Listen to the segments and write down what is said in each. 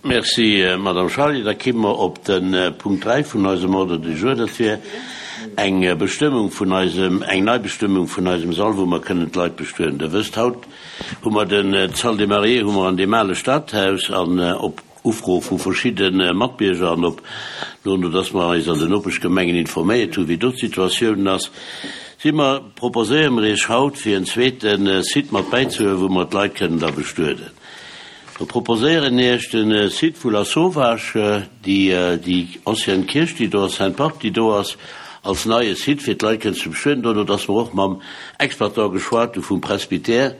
Merci, Madame Charlier. Da kimme mer op de Punkt 3 vun eisem Ordre du jour. Dat wier eng Bestëmmung vun eisem, eng Neibestëmmung vun eisem Sall, wou mer kënnen d'Leit bestueden. Der wësst, haut hu mer den, d'Salle des Mariés hu mer an deem ale Stadhaus an op Ufro vu verschidde Matbierger an op no, no dass mer eis an den Nopeschgemengen informéiert hunn, wéi do d'Situatioun ass, si mer, proposéiere mer Iech haut, fir en zweete Site mat bäizehuelen, wou mer d'Leit kënnen da bestueden. Mer proposéieren Iech de Site vu Lasauvage, déi déi ancienne Kierch, déi do ass, Sainte-Barbe, déi do ass, als neie Site, fir d'Leit kënnen ze bestueden. Dono, dass mer och mam Exploitant geschwat hu vum Presbytère,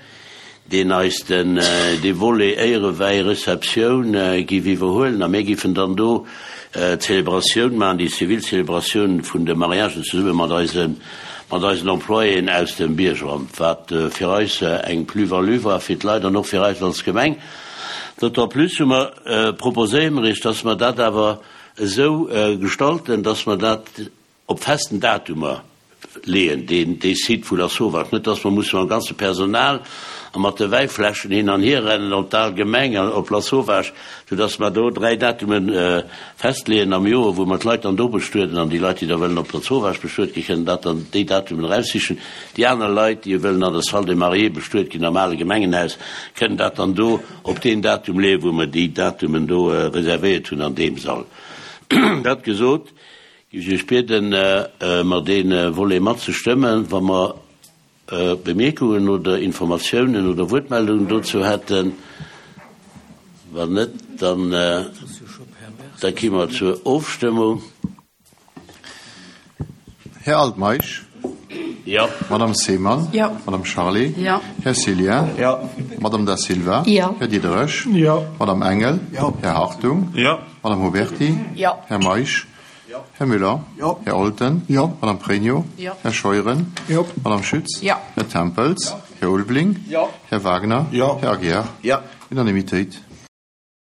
deen eis den dee Volet Éierewäi, Receptioun giff iwwerhuelen a mir giffen dann do d'Zelebratioun maachen, déi zivil Zelebratioun vun de Mariagen zesumme mat eise mat eisen Employéen aus dem Biergeramt, wat fir eis eng Plus-value war fir d'Leit an och fir eis als Gemeng. D'autant plus hu mer, proposéiere mer Iech, dass mer dat awer esou gestalten, dass mer dat op festen Datumer leeën, deen dee Site vu Lasauvage, net dass mer musse mam ganze Personal a mat de Wäifläschen hin an hier rennen op d'al Gemeng an op Lasauvage, sou dass mer do 3 Datume festleeën am Joer, wou mer d'Leit dann do bestueden an déi Leit, déi da wëllen op Lasauvage bestuet ginn, kënnen dat dann déi Datumen eraussichen. Déi aner Leit, déi wëllen an der Salle des Mariés bestuet ginn am ale Gemengenhaus, kënnen dat dann do op deen Datum leeën, wou mer déi Datumen do reservéiert hunn an deem Sall. Dat gesot, Géif ech Iech bieden, mer dee Volet matzestëmmen. Wa mer Bemierkungen oder Informatiounen oder Wuertmeldungen dozou hätten. Wann net, dann da gi mer zur Ofstëmmung. Här Altmeisch. Jo. Madame Seemann. Jo. Madame Charlé. Jo. Här Cillien. Jo. Madame Da Silva. Jo. Här Diderich. Jo. Madame Engel. Jo. Här Hartung. Jo. Madame Huberty. Jo. Här Meisch. Här Müller. Jo. Här Olten. Jo. Madame Pregno. Jo. Här Scheuren. Jo. Madame Schütz. Jo. Här Tempels. Jo. Här Ulveling. Jo. Här Wagner. Jo. Här Aguiar. Jo. Unanimitéit.